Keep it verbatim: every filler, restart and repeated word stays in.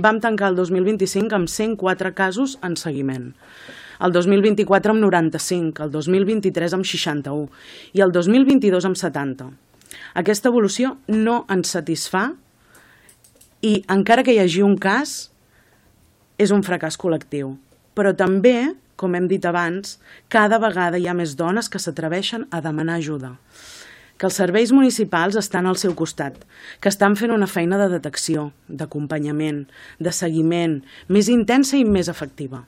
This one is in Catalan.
Vam tancar el dos mil vint-i-cinc amb cent quatre casos en seguiment, el dos mil vint-i-quatre amb noranta-cinc, el dos mil vint-i-tres amb seixanta-u i el dos mil vint-i-dos amb setanta. Aquesta evolució no ens satisfà i, encara que hi hagi un cas, és un fracàs col·lectiu. Però també, com hem dit abans, cada vegada hi ha més dones que s'atreveixen a demanar ajuda, que els serveis municipals estan al seu costat, que estan fent una feina de detecció, d'acompanyament, de seguiment, més intensa i més efectiva.